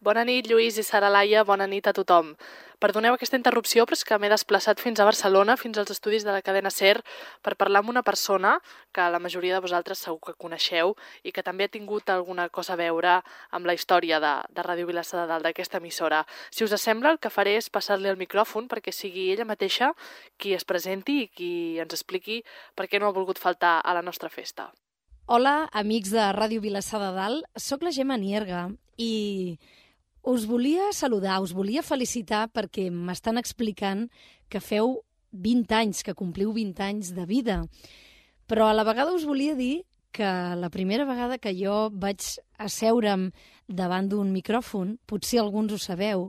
Bona nit, Lluís i Sara Laia, bona nit a tothom. Perdoneu aquesta interrupció, però és que m'he desplaçat fins a Barcelona, fins als estudis de la cadena SER, per parlar amb una persona que la majoria de vosaltres segur que coneixeu i que també ha tingut alguna cosa a veure amb la història de Ràdio Vilassar de Dalt, d'aquesta emissora. Si us sembla, el que faré és passar-li el micròfon perquè sigui ella mateixa qui es presenti i qui ens expliqui per què no ha volgut faltar a la nostra festa. Hola, amics de Ràdio Vilassar de Dalt. Soc la Gemma Nierga i us volia saludar, us volia felicitar perquè m'estan explicant que feu 20 anys, que compliu 20 anys de vida. Però a la vegada us volia dir que la primera vegada que jo vaig asseure'm davant d'un micròfon, potser alguns ho sabeu,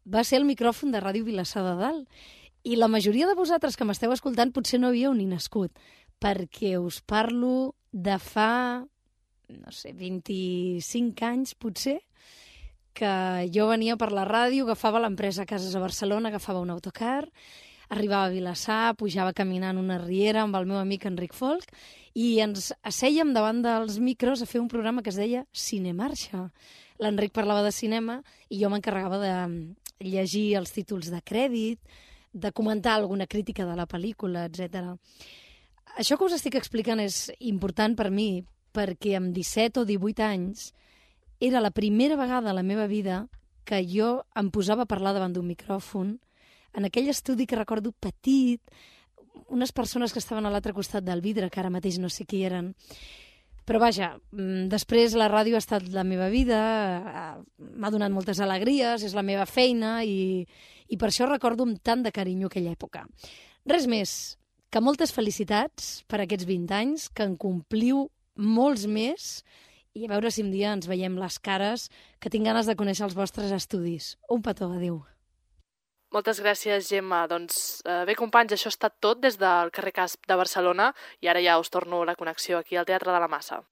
va ser el micròfon de Ràdio Vilassar de Dalt. I la majoria de vosaltres que m'esteu escoltant potser no havíeu ni nascut, perquè us parlo de fa, 25 anys potser, que jo venia per la ràdio, agafava l'empresa Cases a Barcelona, agafava un autocar, arribava a Vilassar, pujava caminant una riera amb el meu amic Enric Folk i ens assèiem davant dels micros a fer un programa que es deia Cinemarxa. L'Enric parlava de cinema i jo m'encarregava de llegir els títols de crèdit, de comentar alguna crítica de la pel·lícula, etc. Això que us estic explicant és important per mi perquè amb 17 o 18 anys era la primera vegada a la meva vida que jo em posava a parlar davant d'un micròfon, en aquell estudi que recordo petit, unes persones que estaven a l'altre costat del vidre, que ara mateix no sé qui eren. Però vaja, després la ràdio ha estat la meva vida, m'ha donat moltes alegries, és la meva feina i per això recordo amb tant de carinyo aquella època. Res més, que moltes felicitats per aquests 20 anys, que en compliu molts més, i a veure si un dia ens veiem les cares, que tinc ganes de conèixer els vostres estudis. Un petó, adéu. Moltes gràcies, Gemma. Doncs bé, companys, això ha estat tot des del carrer Casp de Barcelona i ara ja us torno la connexió aquí al Teatre de la Massa.